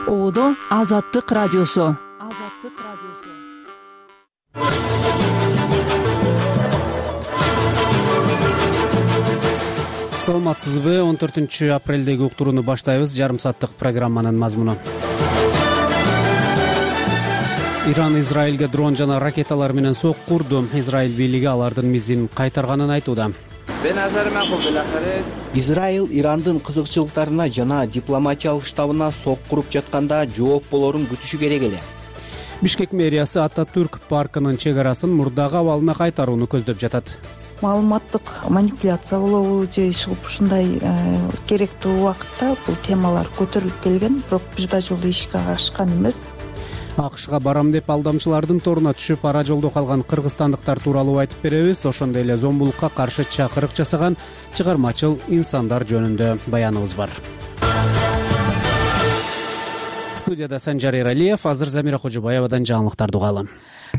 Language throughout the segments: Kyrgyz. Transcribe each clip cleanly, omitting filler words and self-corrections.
Оодо Азаттык радиосу. Саламатсызбы? 14-апрелдеги уктурууну баштайбыз. Жарым сааттык программанын мазмуну. Иран Израилге дрон жана ракеталар менен сокку урду. Израиль бийлиги алардын мизин кайтарганын айтууда. Израиль Ирандын кызыкчылыктарына жана дипломатиялык штабына сокку уруп жатканда жооп болорун күтүшү керек эле. Бишкек мэриясы Ататүрк паркынын чек арасын мурдагы абалына кайтарууну көздөп жатат. Маалыматтык манипуляция болобу же ушундай керектүү убакытта бул темалар көтөрүлүп келген, бирок бир да жолу ишке ашкан эмес. АКШга барам деп алдамчылардын торуна түшүп ара жолдо калган кыргызстандыктар тууралуу айтып беребиз. Ошондой эле зомбулукка каршы чакырык жасаган чыгармачыл инсандар жөнүндө баяныбыз бар. Студияда Санжар Эралиев, азыр Замира Кожобаевадан жаңылыктарды угалы.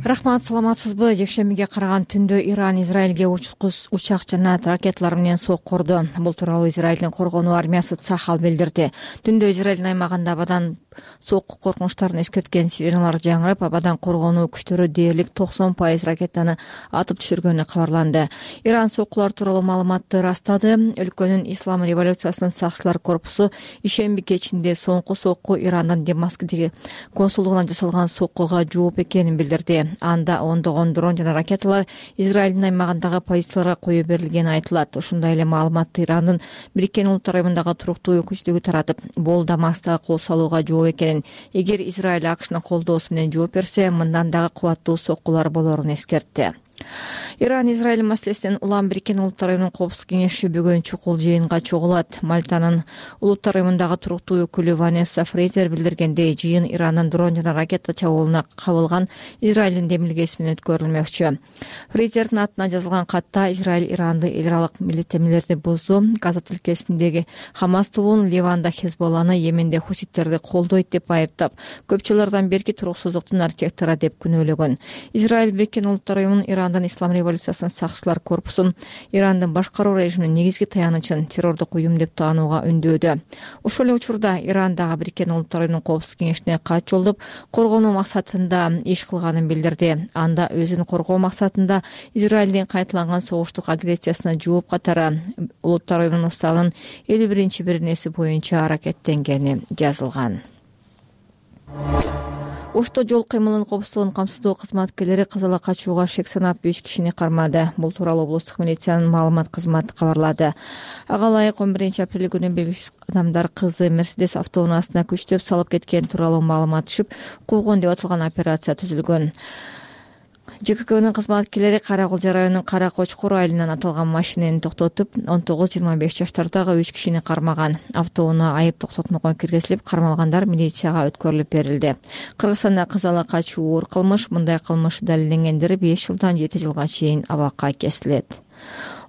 Рахмат, саламатсызбы? Жекшембиге караган түндө Иран Израилге учак жана ракеталар менен сокку урду. Бул тууралуу Израилдин коргонуу армиясы Цахал билдирди. Түндө Израилдин аймагында абадан сокку коркунучтарын эскерткен сиреналар жаңырып, абадан коргонуу күчтөрү дээрлик 90% ракетаны атып түшүргөнү кабарланды. Иран соккулар тууралуу маалыматты растады. Өлкөнүн Ислам революциясынын сакчылар корпусу ишемби кечинде соңку сокку Ирандын Дамаскдеги консулдугуна жасалган соккуга жооп экенин билдирди. Анда ондогон дрон жана ракеталар Израилдин аймагындагы позицияларга кое берилгени айтылат. Ошондой эле маалыматты Ирандын Бириккен Улуттар уюмундагы туруктуу өкүлчүлүгү таратып, бул Дамаскта кол салууга жооп экенин, эгер Израиль АКШнын колдоосу менен жооп берсе, мындан дагы кубаттуу соккулар болорун эскертти. Иран Израиль маселесинен улам Бириккен Улуттар уюмунун коопсуздук кеңеши бүгүн чукул жыйынга чогулат. Мальтанын Улуттар уюмундагы туруктуу өкүлү Ванесса Фрейзер билдиргендей, жыйын Ирандын дрон жана ракета чабуулуна кабылган Израилдин демилгеси менен өткөрүлмөкчү. Фрейзердин атына жазылган катта Израиль Иранды эл аралык милдеттенмелерди бузду, Газа тилкесиндеги Хамас тобун, Ливанда Хезболланы, Йеменде хуситтерди колдойт деп айыптап, көп жылдардан берки туруксуздуктун архитектору деп күнөөлөгөн. Израиль Бириккен Улуттар уюмунун Ирандын Ислам революциясынын сакчылар корпусун Ирандын башкаруу режиминин негизги таянычын террордук уюм деп таанууга үндөөдө. Ошол эле учурда Иран дагы Бириккен Улуттар уюмунун коопсуздук кеңешине кат жолдоп, коргонуу максатында иш кылганын билдирди. Анда өзүн коргоо максатында Израилдин кайталанган согуштук агрессиясына жооп катары Улуттар уюмунун уставынын 51-беренеси боюнча аракеттенгени жазылган. Ошто жол кыймылынын коопсуздугун камсыздоо кызматкерлери казала качууга шек санап 5 кишини кармады. Бул тууралуу облустук милициянын маалымат кызматы кабарлады. Ага ылайык 11-апрель күнү белгисиз адамдар кызы Мерседес автоунаасына күчтөп салып кеткен тууралуу маалымат түшүп, куугун деп аталган операция түзүлгөн. ЖККнын кызматкерлери Каракулжа районунун Кара Кочкор айылынан аталган машинени токтотуп, 19-25 жаштардагы 3 кишини кармаган. Автоунаа айып токтотмокон киргизилип, кармалгандар милицияга өткөрүлүп берилди. Кыргызстанда казала качуу оор кылмыш, мындай кылмыш далилденгендер 5 жылдан 7 жылга чейин абакка кесилет.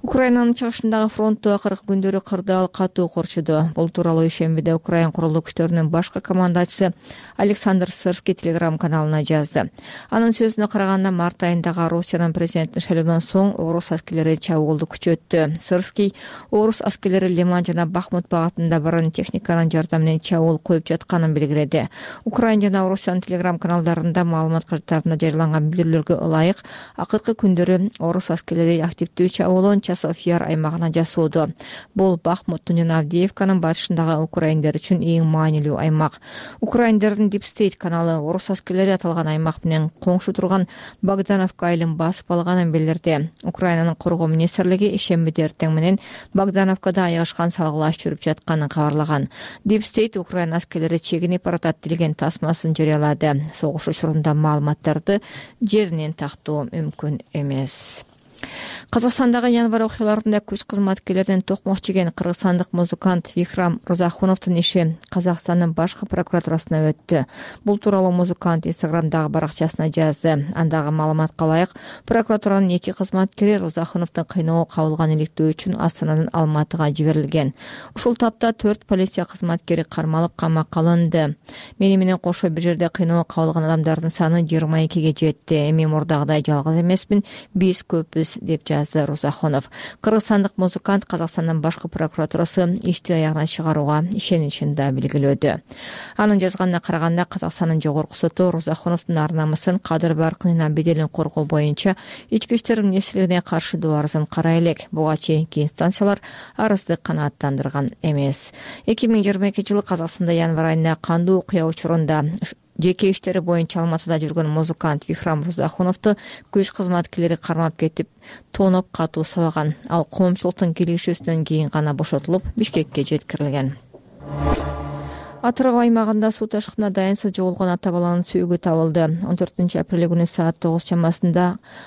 Украинанын чыгышындагы фронтту акыркы күндөрү кырдаал катуу корчуду. Бул тууралуу ишембиде Украин курулуу күчтөрүнүн башкы командачысы Александр Сырский телеграм-каналына жазды. Анын сөзүнө караганда, март айындагы Россиянын президенттин шайлоодон соң орус аскерлери чабуулду күчөттү. Сырский орус аскерлери Лиман жана Бахмут багытында бронетехниканын жардамы менен чабуул коюп жатканын белгиледи. Украин жана Россиянын телеграм-каналдарында маалымат карттарында жарыяланган билдирүүлөргө ылайык, акыркы күндөрү орус аскерлери активдүү чабуулун Часов Яр аймагына жасоодо. Бул Бахмуттун жана Авдеевканын батышындагы украиндер үчүн эң маанилүү аймак. Украиндердин Deep State каналы орус аскерлери аталган аймак менен коңшу турган Богдановка айылын басып алганын билдирди. Украинанын коргоо министрлиги ишембиде эртең менен Богдановкада аягышкан салгылаш жүрүп жатканын кабарлаган. Deep State Украина аскерлери чегинип баратат деген тасмасын жарыялады. Согуш учурунда маалыматтарды жеринен тактоо мүмкүн эмес. Казакстандагы январь окуяларында күч кызматкерлеринен токмок жеген кыргызстандык музыкант Викрам Розахуновдун иши Казакстандын башкы прокуратурасына өттү. Бул тууралуу музыкант Инстаграмдагы баракчасына жазды. Андагы маалыматка ылайык, прокуратуранын 2 кызматкери Розахуновдун кыйноого кабылган иликтөө үчүн Астанадан Алматыга жиберилген. Ушул тапта 4 полиция кызматкери кармалып камакка алынды. Мени менен кошо бир жерде кыйноого кабылган адамдардын саны 22ге жетти. Эми мурдагыдай жалгыз эмесмин, биз көпбүз деп жазды Рузахонов. Кыргызстандык музыкант Казакстандын башкы прокуратурасы ишти аягына чыгарууга ишеничин да белгилөөдү. Анын жазганына караганда, Казакстандын жогорку соту Рузахоновдун ар намысын, кадыр баркынын беделин коргоо боюнча ички иштер министрлигине каршы доо арызын карай элек. Буга чейинки инстанциялар арызды канааттандырган эмес. 2022 жылы Казакстанда январь айында кандуу окуя учурунда жеке иштери боюнча Алматыда жүргөн музыкант Вихрам Рузахоновду күч кызматкерлери кармап кетип, тоноп катуу сабаган. Ал коомчулуктун келишүүсүнөн кийин гана бошотулуп, Бишкекке жеткирилген. Атырау аймагында суу ташкынына дайынсыз жоголгон ата баланын сүйүгү табылды. 14 апрель күнү саат 9 чамасында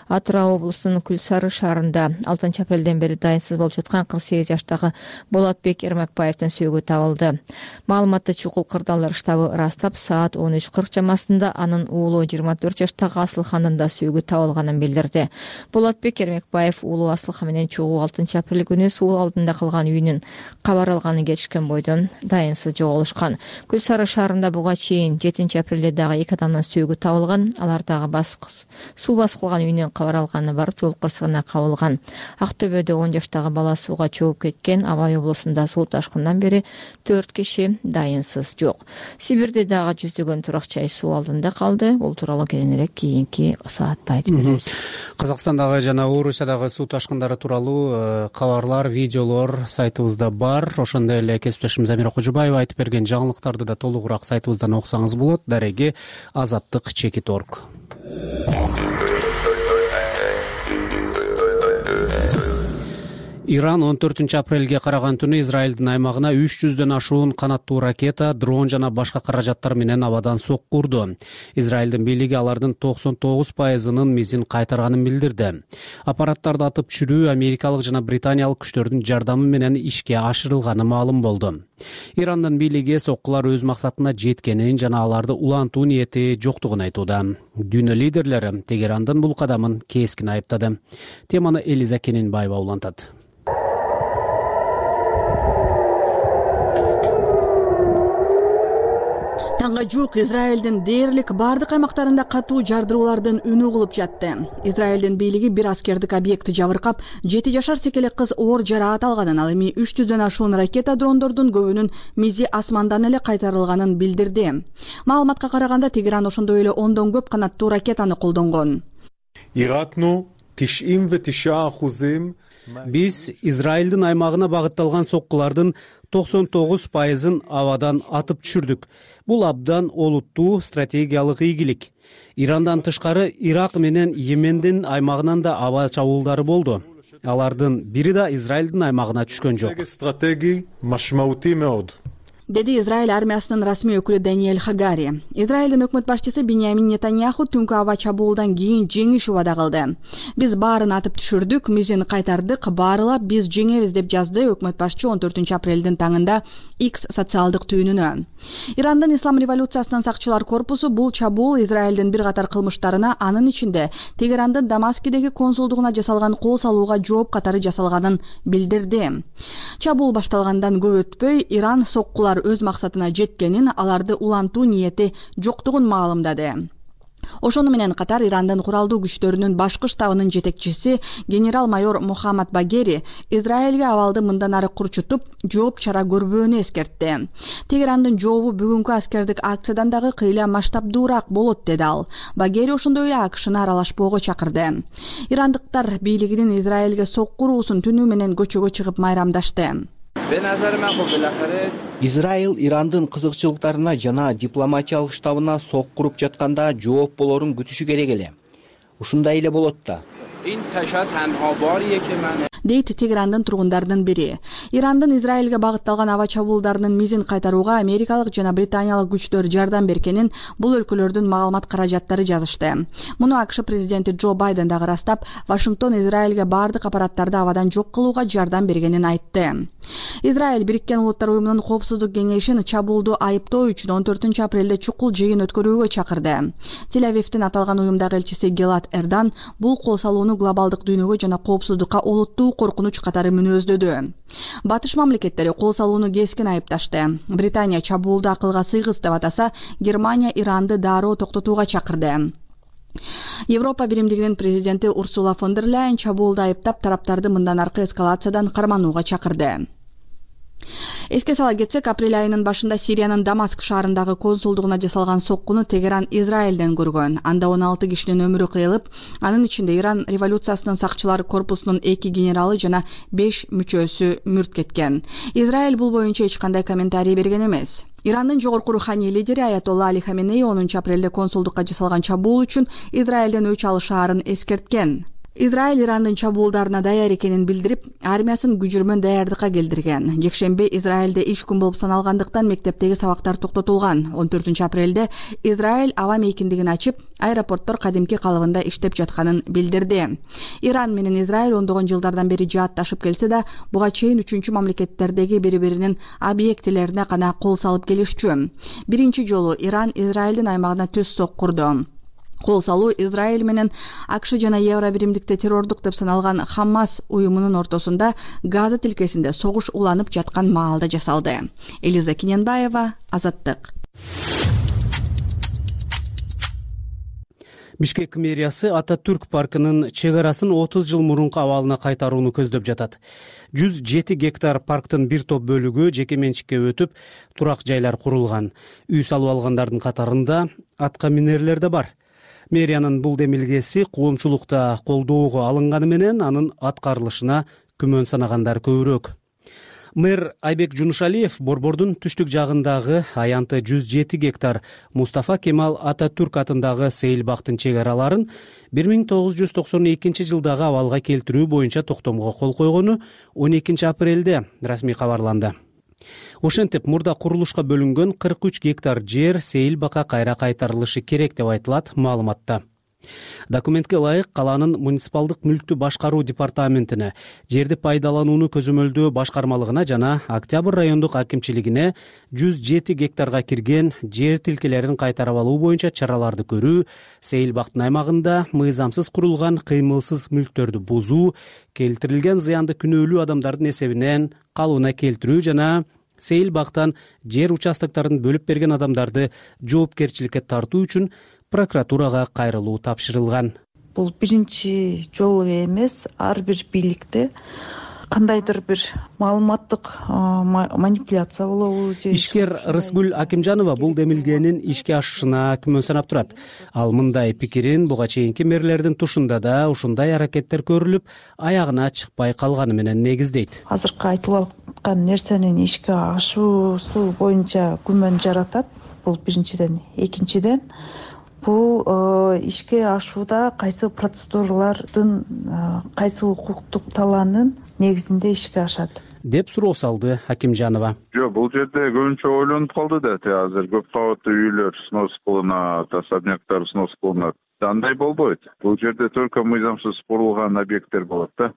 Атырау облусунун Күлсары шаарында 6 апрелден бери дайынсыз болуп жаткан 48 жаштагы Болотбек Эрмекбаевдин сүйүгү табылды. Маалыматты чукул кырдаалдар штабы ырастап, саат 13:40 чамасында анын уулу 24 жаштагы Асылхандын да сүйүгү табылганын билдирди. Болотбек Эрмекбаев уулу Асылхан менен чогуу 6 апрель күнү суу алдында калган үйүнүн кабар алганы кетишкен бойдон дайынсыз жоголушкан. Күлсары шаарында буга чейин 7 апрелде дагы 2 адамдын сүйүгү табылган. Алар дагы суу басып калган үйүнөн кабар алганы барып жол кырсыгына кабылган. Актөбөдө 10 жаштагы бала сууга чогуп кеткен. Абай облусунда суу ташкынынан бери 4 киши дайынсыз жок. Сибирде дагы жүздөгөн турак жай суу алдында калды. Бул тууралуу кийинирээк кийинки саатта айтып беребиз. Казакстандагы жана Орусиядагы суу ташкындары тууралуу кабарлар, видеолор сайтыбызда бар. Ошондой эле кесиптешим Замира Кожубаева айтып берген жаңылыктарды да толугураак сайтыбыздан окусаңыз болот. Дареги azаттык.org. Иран 14 апрелге караган түнү Израилдин аймагына 300дөн ашуун канаттуу ракета, дрон жана башка каражаттар менен абадан сокку урду. Израилдин бийлиги алардын 99%-нын мизин кайтарганын билдирди. Аппараттарды атып түшүрүү Америкалык жана Британиялык күчтөрдүн жардамы менен ишке ашырылганы маалым болду. Ирандын бийлиги соккулар өз максатына жеткенин жана аларды улантуу ниети жоктугун айтууда. Дүйнө лидерлери Тегерандын бул кадамын кескин айыптады. Теманы Элиза Кененбаева улантат. Таңга жук Израилдин дээрлик бардык аймактарында катуу жардыруулардын үнү угулуп жатты. Израилдин бийлиги бир аскердик объектти жабыркап, 7 жашар секелек кыз оор жараат алганын, ал эми 300дөн ашуун ракета дрондордун көбүнүн мизи асмандан эле кайтарылганын билдирди. Маалыматка караганда Тегеран ошондой эле 10дон көп канаттуу ракетаны колдонгон. Иратну 99%. Биз Израилдин аймагына багытталган соккулардын 99%-ын абадан атып түшүрдүк. Бул абдан олуттуу стратегиялык ийгилик. Ирандан тышкары Ирак менен Йемендин аймагынан да аба чабуулдары болду. Алардын бири да Израилдин аймагына түшкөн жок. Стратегий машмаути меод. Деди Израиль армиясынын расмий өкүлү Даниэль Хагари. Израилдин өкмөт башчысы Биньямин Нетаньяху түнкү аба чабуулдан кийин жеңиш убада кылды. Биз баарын атып түшүрдүк, мизин кайтардык, баарылап биз жеңебиз деп жазды өкмөт башчы 14 апрелдин таңында X социалдык түйүнүнө. Ирандын Ислам революциясынын сакчылар корпусу бул чабуул Израилдин бир катар кылмыштарына, анын ичинде Тегерандын Дамаскидеги консулдугуна жасалган кол салууга жооп катары жасалганын билдирди. Чабуул башталгандан көп өтпөй Иран соккулар өз максатына жеткенин, аларды улантуу ниети жоктугун маалымдады. Ошону менен катар Ирандын куралдуу күчтөрүнүн башкы штабынын жетекчиси генерал-майор Мухаммад Багери Израилге абалды мындан ары курчутуп, жооп чара көрбөөнү эскертти. Тегерандын жообу бүгүнкү аскердик акциядан дагы кыйла масштабдуураак болот, деди ал. Багери ошондой эле АКШны аралашпоого чакырды. Ирандыктар бийлигинин Израилге сокку уруусун түнү менен көчөгө чыгып майрамдашты. Израил Ирандын кызыкчылыктарына жана дипломатиялык штабына сок куруп жатканда жооп болорун күтүшү керек эле. Ушундай эле болот да. Дейт Тегерандын тургундарынын бири. Ирандын Израилге багытталган аба чабуулдарынын мизин кайтарууга Америкалык жана Британиялык күчтөр жардам бергенин бул өлкөлөрдүн маалымат каражаттары жазышты. Муну АКШ президенти Джо Байден дагы ырастап, Вашингтон Израилге бардык аппараттарды абадан жок кылууга жардам бергенин айтты. Израиль Бириккен Улуттар уюмунун коопсуздук кеңешин чабуулду айыптоо үчүн 14 апрелде чукул жыйын өткөрүүгө чакырды. Тель-Авивдин аталган уюмдагы элчиси Гелат Эрдан бул кол салууну глобалдык дүйнөгө жана коопсуздукка олуттуу коркунуч катары мүнөздөдү. Батыш мамлекеттери кол салууну кескин айыпташты. Британия чабуулду акылга сыйгыс деп атаса, Германия Иранды дароо токтотууга чакырды. Европа биримдигинин президенти Урсула фон дер Ляйен чабуулду айыптап, тараптарды мындан аркы эскалациядан карманууга чакырды. Эске сала кетсек, апрель айынын башында Сириянын Дамаск шаарындагы консулдугуна жасалган соккуну Тегеран Израилден көргөн. Анда 16 кишинин өмүрү кыйылып, анын ичинде Иран революциясынын сакчылар корпусунун 2 генералы жана 5 мүчөсү мүрт кеткен. Израиль бул боюнча эч кандай комментарий берген эмес. Ирандын жогорку руханий лидери Аятолла Али Хаменей 10 апрелде консулдукка жасалган чабуул үчүн Израилден өч алышаарын эскерткен. Израиль Ирандын чабуулдарына даяр экенин билдирип, армиясын күжүрмөн даярдыкка келтирген. Жекшемби Израилде иш күн болуп саналгандыктан мектептеги сабактар токтотулган. 14 апрелде Израиль аба мейкиндигин ачып, аэропорттор кадимки калыбында иштеп жатканын билдирди. Иран менен Израиль ондогон жылдардан бери жаатташып келсе да, буга чейин үчүнчү мамлекеттердеги бири-биринин объектилерине гана кол салып келишчү. Биринчи жолу Иран Израилдин аймагына төс соккурду. Кол салуу Израиль менен АКШ жана Евро биримдикте террордук деп саналган Хамас уюмунун ортосунда Газа тилкесинде согуш уланып жаткан маалда жасалды. Элиза Киненбаева, Азаттык. Бишкек мэриясы Ататүрк паркынын чек арасын 30 жыл мурунку абалына кайтарууну көздөп жатат. 107 гектар парктын бир топ бөлүгү жеке менчикке өтүп, турак жайлар курулган. Үй салып алгандардын катарында атка минерлер да бар. Мэриянын бул демилгеси коомчулукта колдоого алынганы менен анын аткарылышына күмөн санагандар көбүрөөк. Мэр Айбек Жунушалиев Борбордун түштүк жагындагы аянты 107 гектар Мустафа Кемал Ататүрк атындагы сейил бактын чек араларын 1992 жылдагы абалга келтирүү боюнча токтомго кол койгону 12 апрелде расмий кабарланды. Ошентип, мурда курулушка бөлүнгөн 43 гектар жер сейил бакка кайра кайтарылышы керек деп айтылат маалыматта. Документке ылайык калаанын муниципалдык мүлктү башкаруу департаментине, жерди пайдаланууну көзөмөлдөө башкармалыгына жана Октябрь райондук акимчилигине 107 гектарга кирген жер тилкелерин кайтарып алуу боюнча чараларды көрүү, сейил бактын аймагында мыйзамсыз курулган кыймылсыз мүлктөрдү бузуу, келтирилген зыянды күнөөлүү адамдардын эсебинен калыбына келтирүү жана сейил бактан жер участокторун бөлүп берген адамдарды жоопкерчиликке тартуу үчүн прокуратурага кайрылуу тапшырылган. Бул биринчи жолу эмес, ар бир бийликте кандайдыр бир маалыматтык манипуляция болобу же. Ишкер Рысгүл Акимжанова бул демилгенин ишке ашышына күмөн санап турат. Ал мындай пикирин буга чейинки мэрлердин тушунда да ушундай аракеттер көрүлүп, аягына чыкпай калганы менен негиздейт. Азыркы айтылып аткан нерсенин ишке ашуусу боюнча күмөн жаратат. Бул биринчиден. Экинчиден, бул ишке ашууда кайсы процедуралардын, кайсы укуктук талаанын негизинде ишке ашат деп суроо салды Акимжанова. Жок, бул жерде көбүнчө ойлонуп калды да, азыр көп кабаттуу үйлөр снос кылынат, особняктар снос кылынат. Андай болбойт. Бул жерде только мыйзамсыз курулган объекттер болот да.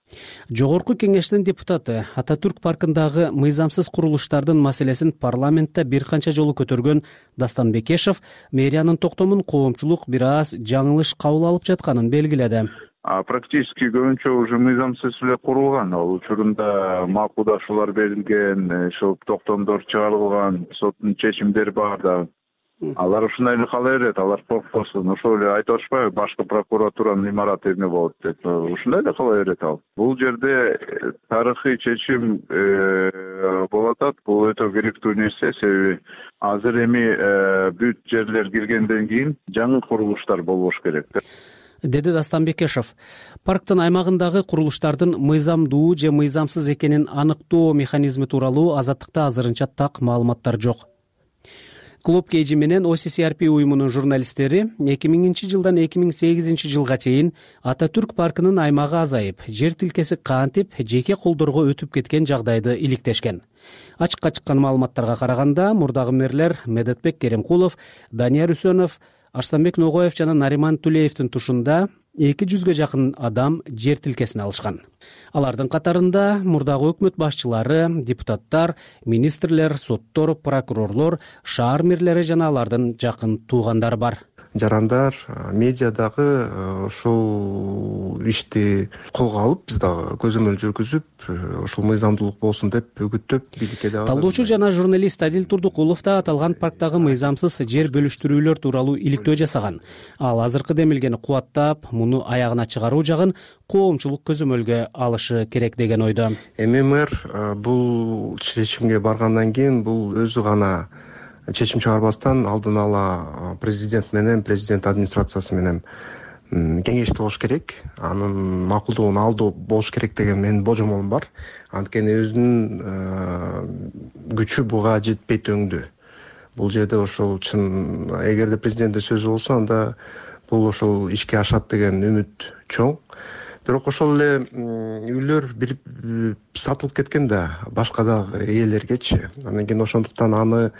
Жогорку кеңештин депутаты Ататүрк паркындагы мыйзамсыз курулуштардын маселесин парламентте бир канча жолу көтөргөн Дастан Бекешев мэриянын токтомун коомчулук бир аз жаңылыш кабыл алып жатканын белгиледи. Практически көбүнчө уже мыйзамсыз эле курулган. Ал учурунда макулдашуулар берилген, ошол токтомдор чыгарылган, соттун чечимдери бар да. Алар ушундай эле кала берет, алар коркпосун. Ошол эле айтып атышпайбы, башкы прокуратуранын имараты эмне болот деп. Ушундай эле кала берет ал. Бул жерде тарыхый чечим болуп атат. Бул өтө керектүү нерсе, себеби азыр эми бүт жерлер киргенден кийин жаңы курулуштар болбош керек деди Дастан Бекешев. Парктын аймагындагы курулуштардын мыйзамдуу же мыйзамсыз экенин аныктоо механизми тууралуу Азаттыкта азырынча так маалыматтар жок. Клуб Кейджи менен OCCRP уюмунун журналисттери 2000 жылдан 2008 жылга чейин Ататүрк паркынын аймагы азайып, жер тилкеси кантип жеке колдорго өтүп кеткен жагдайды иликтешкен. Ачыкка чыккан маалыматтарга караганда, мурдагы мэрлер Медетбек Керемкулов, Данияр Үсөнов, Арстанбек Ногоев жана Нариман Тулеевдин тушунда 200ге жакын адам жер тилкесин алышкан. Алардын катарында мурдагы өкмөт башчылары, депутаттар, министрлер, соттор, прокурорлор, шаар мэрлери жана алардын жакын туугандары бар. жарандар, медиа дагы ушул ишти колго алып, биз дагы көзөмөл жүргүзүп, ушул мыйзамдуулук болсун деп үгүттөп бийликке дагы. Талдоочу жана журналист Адил Турдукулов да аталган парктагы мыйзамсыз жер бөлүштүрүүлөр тууралуу иликтөө жасаган. Ал азыркы демилгени кубаттап, муну аягына чыгаруу жагын коомчулук көзөмөлгө алышы керек деген ойдо. ММР бул чечимге баргандан кийин бул өзү гана чечим чыгарбастан алдын ала президент менен, президент администрациясы менен кеңешти болуш керек, анын макулдугун алдоо болуш керек деген менин божомолум бар. Анткени өзүнүн күчү буга жетпейт өңдү. Бул жерде ошол чын эгерде президенттин сөзү болсо, анда бул ошол ишке ашат деген үмүт чоң. Бирок ошол эле үйлөр бир сатылып кеткен да башка дагы ээлергечи. Андан кийин ошондуктан аны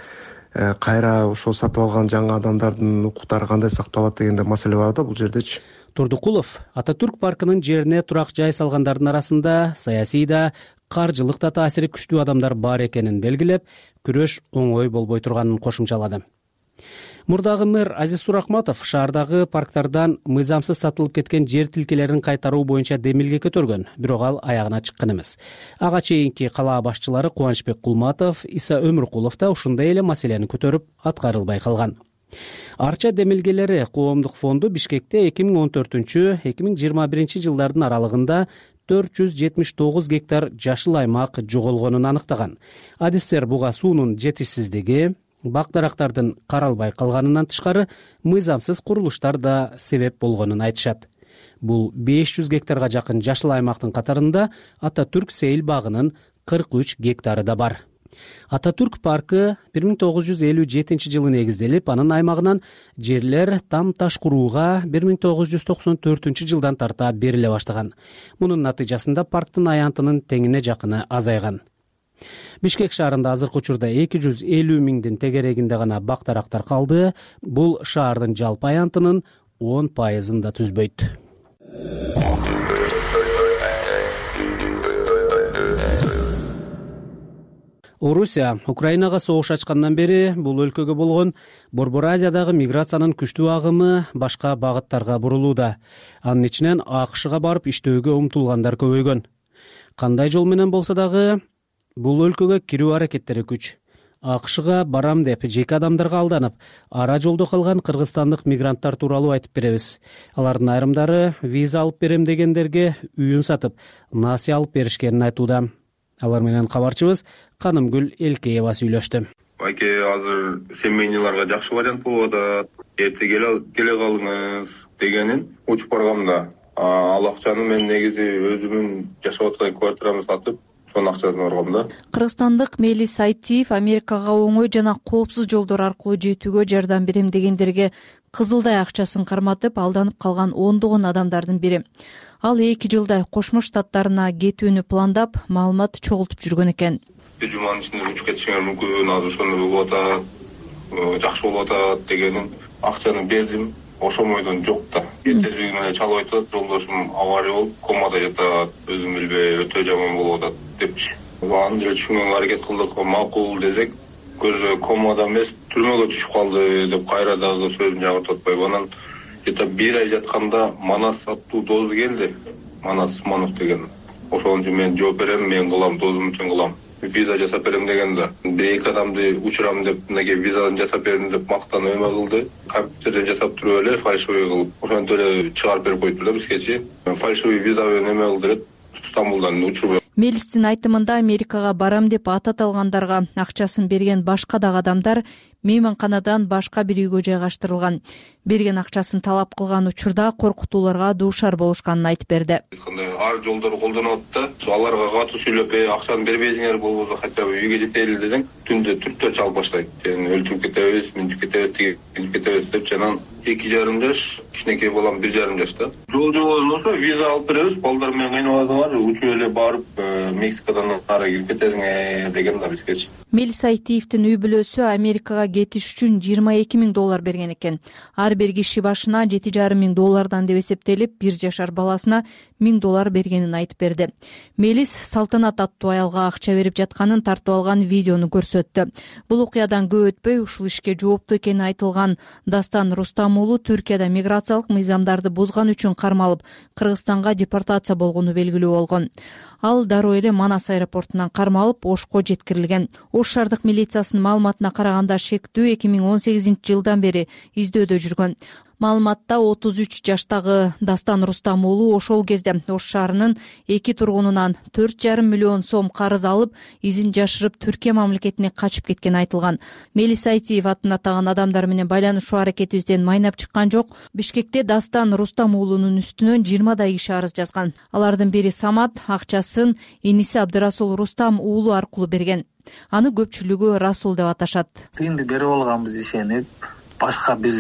кайра ошол сатып алган жаңы адамдардын укуктары кандай сакталат дегенде маселе бар да бул жердечи. Турдукулов Ататүрк паркынын жерине турак жай салгандардын арасында саясий да, каржылык да таасири күчтүү адамдар бар экенин белгилеп, күрөш оңой болбой турганын кошумчалады. Мурдагы мэр Азиз Суракматов шаардагы парктардан мыйзамсыз сатылып кеткен жер тилкелерин кайтаруу боюнча демилге көтөргөн, бирок ал аягына чыккан эмес. Ага чейинки калаа башчылары Кубанычбек Кулматов, Иса Өмүркулов да ушундай эле маселени көтөрүп аткарылбай калган. Арча демилгелери коомдук фонду Бишкекте 2014-2021 жылдардын аралыгында 479 гектар жашыл аймак жоголгонун аныктаган. Адистер буга суунун жетишсиздиги, бак-дарактардын каралбай калганынан тышкары мыйзамсыз курулуштар да себеп болгонун айтышат. Бул 500 гектарга жакын жашыл аймактын катарында Ататүрк сейил багынын 43 гектары да бар. Ататүрк паркы 1957 жылы негизделип, анын аймагынан жерлер там-таш курууга 1994 жылдан тарта бериле баштаган. Мунун натыйжасында парктын аянтынын теңине жакыны азайган. Бишкек шаарында азыркы учурда 250 миңдин тегерегинде гана бак-дарактар калды. Бул шаардын жалпы аянтынын 10% да түзбөйт. Орусия Украинага согуш ачкандан бери бул өлкөгө болгон Борбор Азиядагы миграциянын күчтүү агымы башка багыттарга бурулууда. Анын ичинен АКШга барып иштөөгө умтулгандар көбөйгөн. Кандай жол менен болсо дагы бул өлкөгө кирүү аракеттери күч. АКШга барам деп жеке адамдарга алданып, ара жолдо калган кыргызстандык мигранттар тууралуу айтып беребиз. Алардын айрымдары виза алып берем дегендерге үйүн сатып, насыя алып беришкенин айтууда. Алар менен кабарчыбыз Канымгүл Элкеева сүйлөштү. Айке, азыр семейныйларга жакшы вариант болуп атат. Эрте келе калыңыз дегенин учуп баргам да. Ал акчаны мен негизи өзүмүн жашап аткан квартирамды сатып, сонун акчасын баргам да. Кыргызстандык Мелис Айтиев Америкага оңой жана коопсуз жолдор аркылуу жетүүгө жардам берем дегендерге кызылдай акчасын карматып алданып калган ондогон адамдардын бири. Ал 2 жылдай Кошмо Штаттарына кетүүнү пландап, маалымат чогултуп жүргөн экен. Бир жуманын ичинде учуп кетишиңер мүмкүн, азыр ошону болуп атат, жакшы болуп атат дегенин акчаны бердим. Ошомойдон жок да. Эртеси күнү чалып айтат, жолдошум авария болуп, комада жатат, өзүм билбей өтө жаман болуп атат депчи. Аны деле түшүнгөнгө аракет кылдык, макул десек, көзү комада эмес, түрмөгө түшүп калды деп кайра дагы сөзүн жагыртатпайбы. Анан где-то 1 ай жатканда Манас аттуу дозу келди. Манас Манов деген. Ошон үчүн мен жооп берем, мен кылам, дозум үчүн кылам. Виза жасап берем деген да. 1-2 адамды учурам деп, мынакей визаны жасап бердим деп мактанып эме кылды. Компьютерден жасап туруп эле фальшивый кылып, ошентип эле чыгарып берип коюптур да бизгечи. Фальшивый виза менен эме кылды эле, Стамбулдан учуруп. Мелистин айтымында Америкага барам деп атат алгандарга акчасын берген башка дагы адамдар мейманканадан башка бир үйгө жайгаштырылган. Берген акчасын талап кылган учурда коркутууларга дуушар болушканын айтып берди. Ар жолдорду колдонуп атты. Аларга катуу сүйлөп, акчаны бербейсиңер болбосо хотя бы үйгө жетели десең, түндө түрктөр чалып баштайт. Сени өлтүрүп кетебиз, мынтип кетебиз, тигип кетебиз деп жанан 2,5 жаш, кичинекей балам 1,5 жашта. Жол ошо виза алып беребиз, балдар менен кыйналасыңар, учуп эле барып Мексикадан ары кирип кетесиңер деген да бизгечи. Мелис Айтиевдин үй бүлөсү Америкага кетиш үчүн $22,000 берген экен. Ар бир киши башына $7,500 деп эсептелип, 1 жашар баласына $1000 бергенин айтып берди. Мелис Салтанат аттуу аялга акча берип жатканын тартып алган видеону көрсөттү. Бул окуядан көп өтпөй ушул ишке жооптуу экени айтылган Дастан Рустам уулу Түркияда миграциялык мыйзамдарды бузган үчүн кармалып, Кыргызстанга депортация болгону белгилүү болгон. Ал дароо эле Манас аэропортунан кармалып, Ошко жеткирилген. Ош шаардык милициясынын маалыматына караганда шектүү 2018 жылдан бери издөөдө жүргөн. Маалыматта 33 жаштагы Дастан Рустам уулу ошол кезде Ош шаарынын 2 тургунунан 4,5 миллион сом карыз алып, изин жашырып Түркия мамлекетине качып кеткени айтылган. Мелис Айтиев атын атаган адамдар менен байланышуу аракетибизден майнап чыккан жок. Бишкекте Дастан Рустам уулунун үстүнөн 20 киши арыз жазган. Алардын бири Самат акчасын иниси Абдырасул Рустам уулу аркылуу берген. Аны көпчүлүгү Расул деп аташат. Тыйынды берип алганбыз ишенип, башка бир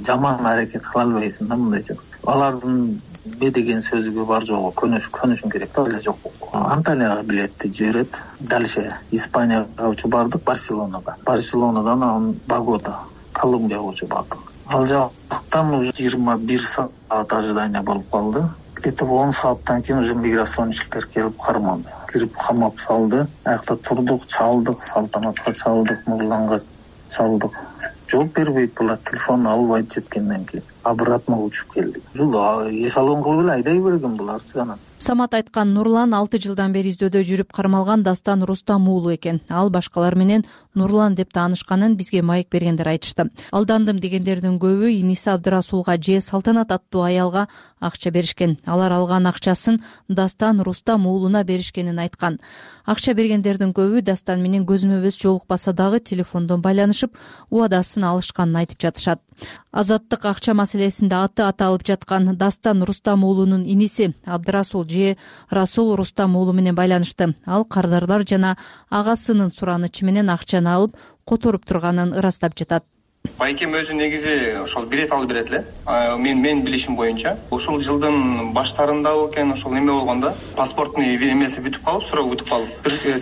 жаман аракет кыла албайсың да мындайча. Алардын деген сөзүгө бар жогу көнүшүм керек да, эле жок. Анталияга билетти жиберет. Дальше Испанияга учуп бардык, Барселонадан анан Богота, Колумбияга учуп бардык. Ал жактан уже 21 саат ожидание болуп калды. Где-то 10 сааттан кийин уже миграциончилер келип кармады. Кирип камап салды. Аякта турдук, чалдык, Салтанатка чалдык, Нурланга чалдык. Жооп бербейт булар, телефон албайт жеткенден кийин. Обратно учуп келдик. Ушул эшалон кылып эле айдай берген буларчы анан. Самат айткан Нурлан 6 жылдан бери издөөдө жүрүп кармалган Дастан Рустам уулу экен. Ал башкалар менен Нурлан деп таанышканын бизге маек бергендер айтышты. Алдандым дегендердин көбү иниси Абдырасулга же Салтанат аттуу аялга акча беришкен. Алар алган акчасын Дастан Рустам уулуна беришкенин айткан. Акча бергендердин көбү Дастан менен көзмө көз жолукпаса дагы телефондон байланышып, убадасын алышканын айтып жатышат. Азаттык акча маселесинде аты аталып жаткан Дастан Рустам уулунун иниси Абдырасул же Расул Рустам уулу менен байланышты. Ал кардарлар жана агасынын суранычы менен акчаны алып которуп турганын ырастап жатат. Байкем өзү негизи ошол билет алып берет эле. Мен билишим боюнча, ушул жылдын баштарында экен ошол неме болгондо, паспорттун эмеси бүтүп калып, суроо бүтүп калып,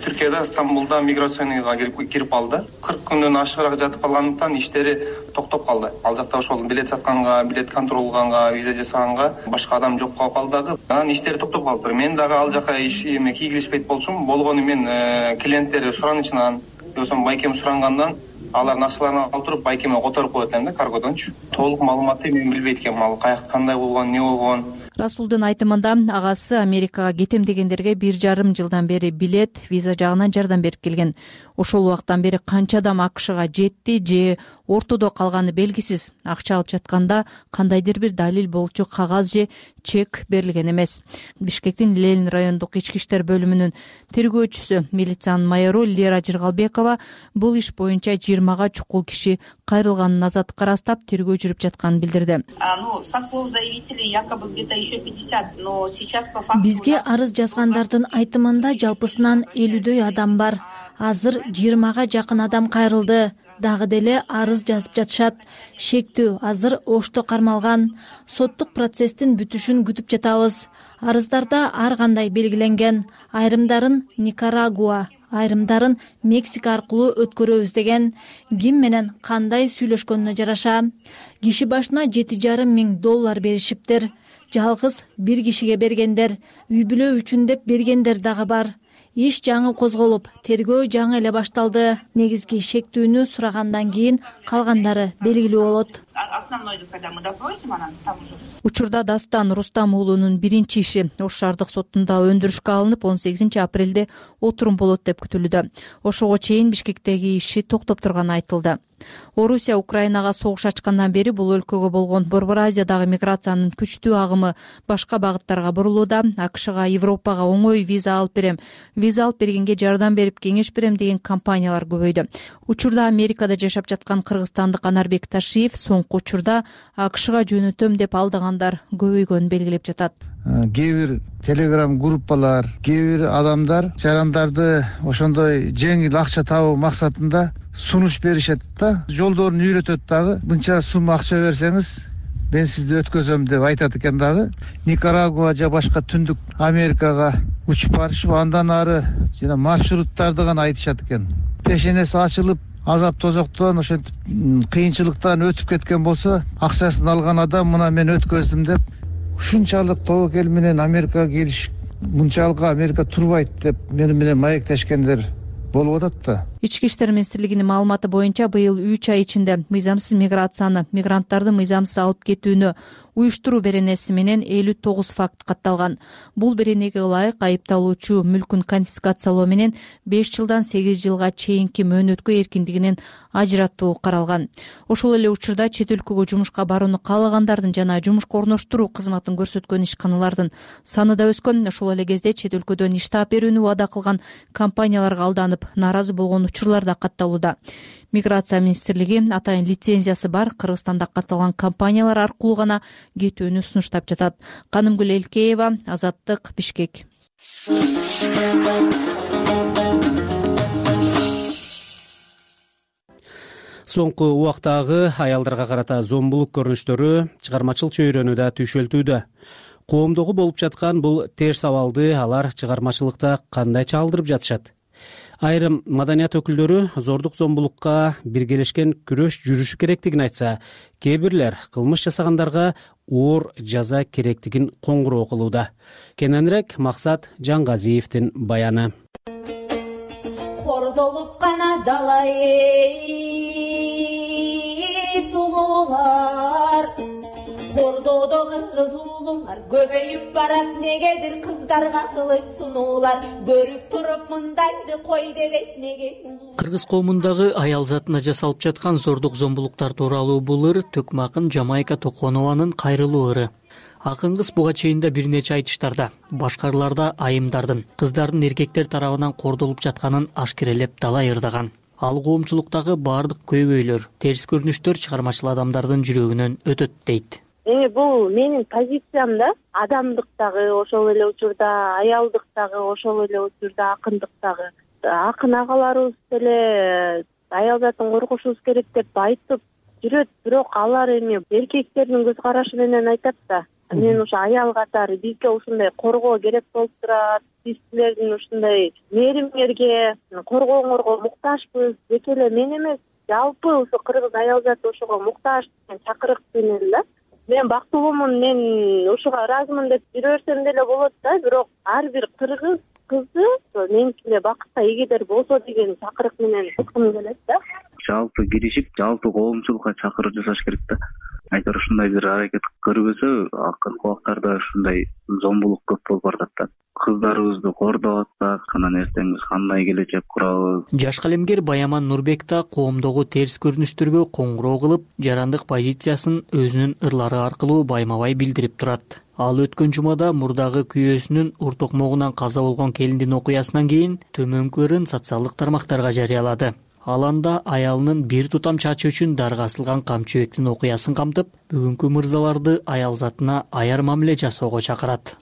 Түркияда Стамбулда миграцияга кирип калды. 40 күндөн ашыгыраак жатып калгандыктан иштери токтоп калды. Ал жакта ошол билет сатканга, билет контролганга, виза жасаганга башка адам жок болуп калды. Анан иштери токтоп калды. Мен дагы ал жака кийгилишпейт болчумун. Болгону мен клиенттер суранычынан, жосом байкем сурангандан алардын акчаларын алып туруп байкеме которуп коет элем да, каргодончу. Толук маалыматты мен билбейт экенмин, ал каякта кандай болгон, не болгон. Расулдун айтымында агасы Америкага кетем дегендерге 1,5 жылдан бери билет, виза жагынан жардам берип келген. Ошол убактан бери канча адам АКШга жетти же ортодо калганы белгисиз. Акча алып жатканда кандайдыр бир далил болчу кагаз же чек берилген эмес. Бишкектин Ленин райондук ички иштер бөлүмүнүн тергөөчүсү, милициянын майору Лера Жыргалбекова бул иш боюнча 20га чукул киши кайрылганын азаттыкка ырастап тергөө жүрүп жатканын билдирди. Со слов заявителей якобы где-то еще 50, но сейчас по факту бизге арыз жазгандардын айтымында жалпысынан 50дөй адам бар. Азыр 20га жакын адам кайрылды. Дагы деле арыз жазып жатышат. Шектүү азыр Ошто кармалган. Соттук процесстин бүтүшүн күтүп жатабыз. Арыздарда ар кандай белгиленген. Айрымдарын Никарагуа, айрымдарын Мексика аркылуу өткөрөбүз деген. Ким менен кандай сүйлөшкөнүнө жараша. Киши башына $7,500 беришиптир. Жалгыз бир кишиге бергендер, үй бүлө үчүн деп бергендер дагы бар. Иш жаңы козголуп, тергөө жаңы эле башталды. Негизги шектүүнү сурагандан кийин калгандары белгилүү болот. Учурда Дастан Рустам уулунун биринчи иши Ош шаардык сотунда өндүрүшкө алынып, 18 апрелде отурум болот деп күтүлүүдө. Ошого чейин Бишкектеги иши токтоп турганы айтылды. Орусия Украинага согуш ачкандан бери бул өлкөгө болгон Борбор Азиядагы миграциянын күчтүү агымы башка багыттарга бурулууда. АКШга, Европага оңой виза алып берем, виза алып бергенге жардам берип кеңеш берем деген компаниялар көбөйдү. Учурда Америкада жашап жаткан кыргызстандык Анарбек Ташиев соңку учурда АКШга жөнөтөм деп алдагандар көбөйгөнүн белгилеп жатат. Кээ бир телеграм группалар, кээ бир адамдар жарандарды ошондой жеңил акча табуу максатында сунуш беришет да, жолдорун үйрөтөт дагы. Мынча сумма акча берсеңиз, мен сизди өткөзөм деп айтат экен дагы. Никарагуа же башка түндүк Америкага учуп барышып, андан ары жана маршруттарды гана айтышат экен. Пешенеси ачылып, азап тозоктон ошентип кыйынчылыктан өтүп кеткен болсо, акчасын алган адам мына мен өткөздүм деп ушунчалык тобокел менен Америкага келиш, мынчалык Америка турбайт деп мени менен маектешкендер болуп атат да. Ички иштер министрлигинин маалыматы боюнча быйыл 3 ай ичинде мыйзамсыз миграцияны, мигранттарды мыйзамсыз алып кетүүнү уюштуруу беренеси менен 59 факт катталган. Бул беренеге ылайык айыпталуучу мүлкүн конфискациялоо менен 5 жылдан 8 жылга чейинки мөөнөткө эркиндигинен ажыратуу каралган. Ошол эле учурда чет өлкөгө жумушка барууну каалагандардын жана жумушка орноштуруу кызматын көрсөткөн ишканалардын саны да өскөн. Ошол эле кезде чет өлкөдөн иш таап берүүнү убада кылган компанияларга алданып, нааразы болгон учурлар да катталууда. Миграция министрлиги атайын лицензиясы бар Кыргызстанда катталган компаниялар аркылуу гана кетүүнү сунуштап жатат. Канымгүл Элкеева, Азаттык, Бишкек. Соңку убактагы аялдарга карата зомбулук көрүнүштөрү чыгармачыл чөйрөнүдө түшөлтүүдө. Коомдогу болуп жаткан бул терс абалды алар чыгармачылыкта кандай чалдырып жатышат? Айрым маданият өкүлдөрү зордук зомбулукка биргелешкен күрөш жүрүшү керектигин айтса, кээ бирлер кылмыш жасагандарга оор жаза керектигин коңгуроо кылууда. Кененирээк Максат Жангазиевдин баяны. Кордолуп гана далай сулуулар, кордоодо кыргыз уулуңар көбөйүп барат, негедир кыздарга кылыч сунуулар, көрүп туруп мындайды кой дебейт неге. Кыргыз коомундагы аял затына жасалып жаткан зордук зомбулуктар тууралуу бул ыр Төкмө акын Жамайка Токонованын кайрылуу ыры. Акын кыз буга чейин да бир нече айтыштарда, башкараларда айымдардын, кыздардын эркектер тарабынан кордолуп жатканын ашкерелеп далай ырдаган. Ал коомчулуктагы баардык көйгөйлөр, терс көрүнүштөр чыгармачыл адамдардын жүрөгүнөн өтөт дейт. Бул менин позициям да, адамдыктагы, ошол эле учурда аялдыктагы, ошол эле учурда акындыктагы. Акын агаларыбыз деле аял затын коргошубуз керек деп айтып жүрөт, бирок алар эми эркектердин көз карашы менен айтат да. Мен ушу аял катары бизге ушундай коргоо керек болуп турат, биз силердин ушундай мээримиңерге, коргооңорго муктажбыз, тек эле мен эмес, жалпы ушу кыргыз аял заты ошого муктаж деген чакырык менен да. Мен бактылуумун, мен ушуга ыраазымын деп жүрө берсем деле болот да, бирок ар бир кыргыз кызы меникине бакытка эгедер болсо деген чакырык менен айткым келет да. Жалпы киришип, жалпы коомчулукка чакырып жасаш керек да. Айтор ушундай бир аракет көрбөсө, акыркы убактарда ушундай зомбулук көп болуп барат да. Кыздарыбызды кордоп атсак, анан эртең биз кандай келечек курабыз? Жаш калемгер Баяман Нурбек да коомдогу терс көрүнүштөргө коңгуроо кылып, жарандык позициясын өзүнүн ырлары аркылуу байма-бай билдирип турат. Ал өткөн жумада мурдагы күйөөсүнүн ур токмогунан каза болгон келиндин окуясынан кийин төмөнкү ырын социалдык тармактарга жарыялады. Ал анда аялынын бир тутам чачы үчүн дарга асылган камчыбектин окуясын камтып, бүгүнкү мырзаларды аял затына аяр мамиле жасоого чакырат.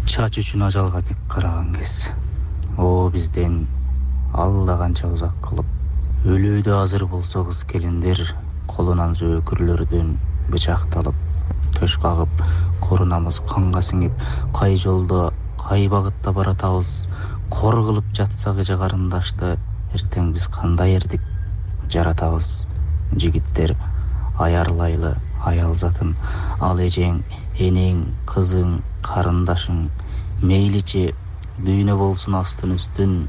Чач үчүн ажалга тик караган кез, о бизден алла канча узак кылып, өлүүдө азыр болсо кыз келиндер колунан зөөкүрлөрдөн бычакталып, төш кагып, корунамыз канга сиңип, кай жолдо, кай багытта баратабыз, кор кылып жатсак эже карындашты, эртең биз кандай эрдик жаратабыз. Жигиттер аярлайлы аял затын, ал эжең, энең, кызың, карындашың, мейличи дүйнө болсун астын үстүн,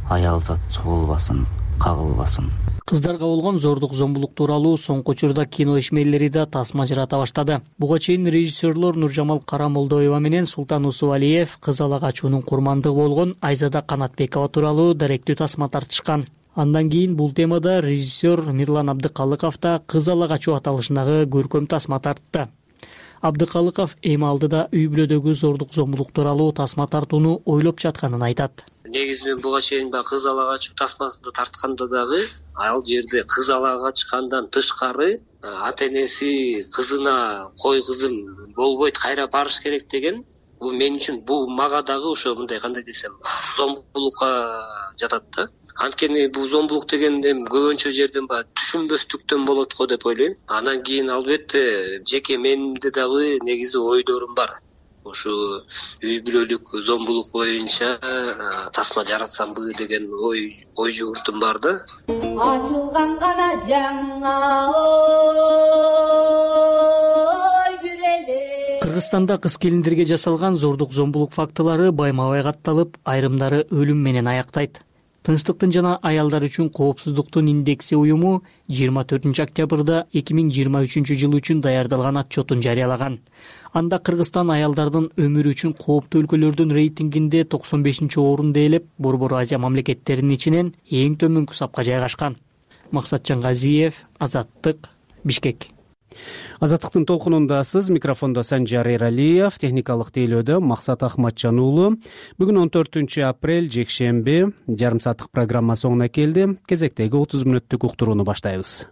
аял зат чогулбасын, кагылбасын. Кыздарга болгон зордук зомбулук тууралуу соңку учурда кино ишмерлери да тасма жарата баштады. Буга чейин режиссерлор Нуржамал Карамолдоева менен Султан Усубалиев кыз ала качуунун курмандыгы болгон Айзада Канатбекова тууралуу даректүү тасма тартышкан. Андан кийин бул темада режиссер Мирлан Абдыкалыков да кыз ала качуу аталышындагы көркөм тасма тартты. Абдыкалыков эми алдыда үй бүлөдөгү зордук зомбулук тууралуу тасма тартууну ойлоп жатканын айтат. Негизи мен буга чейин кыз ала качуу тасмасында тартканда дагы ал жерде кыз ала качкандан тышкары ата энеси кызына кой кызым болбойт, кайра барыш керек деген, бул мен үчүн, бул мага дагы ошо мындай кандай десем, зомбулукка жатат да. Анткени бул зомбулук деген көбүнчө жерден түшүнбөстүктөн болот го деп ойлойм. Анан кийин албетте жеке менде дагы негизи ойдорум бар. ушу үй бүлөлүк зомбулук боюнча тасма жаратсамбы деген ой жүгүртүм бар да. Ачылган гана жаңа ой бүреле. Кыргызстанда кыз келиндерге жасалган зордук зомбулук фактылары байма-бай катталып, айрымдары өлүм менен аяктайт. Тынчтыктын жана аялдар үчүн коопсуздуктун индекси уюму 24 октябрда 2023 жыл үчүн даярдалган отчетун жарыялаган. Анда Кыргызстан аялдардын өмүрү үчүн кооптуу өлкөлөрдүн рейтингинде 95-орунду ээлеп, Борбор Азия мамлекеттеринин ичинен эң төмөнкү сапка жайгашкан. Максатжан Газиев, Азаттык, Бишкек. Азаттыктын толкунунда сиз, микрофондо Санжар Эралиев, техникалык тейлөөдө Максат Ахматжан уулу. Бүгүн 14 апрель жекшемби, жарым сааттык программа соңуна келди. Кезектеги 30 мүнөттүк уктурууну баштайбыз.